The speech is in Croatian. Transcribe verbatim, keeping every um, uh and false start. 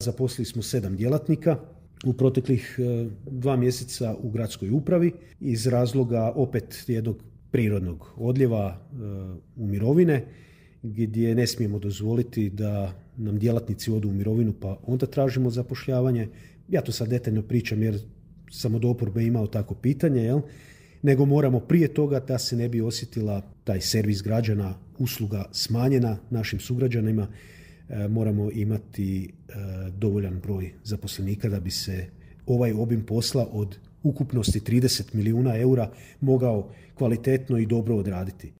Zaposlili smo sedam djelatnika u proteklih dva mjeseca u gradskoj upravi iz razloga opet jednog prirodnog odljeva u mirovine, gdje ne smijemo dozvoliti da nam djelatnici odu u mirovinu pa onda tražimo zapošljavanje. Ja to sad detaljno pričam jer sam od oporbe imao tako pitanje, jel? Nego moramo prije toga da se ne bi osjetila taj servis građana, usluga smanjena našim sugrađanima, moramo imati dovoljan broj zaposlenika da bi se ovaj obim posla od ukupnosti trideset milijuna eura mogao kvalitetno i dobro odraditi.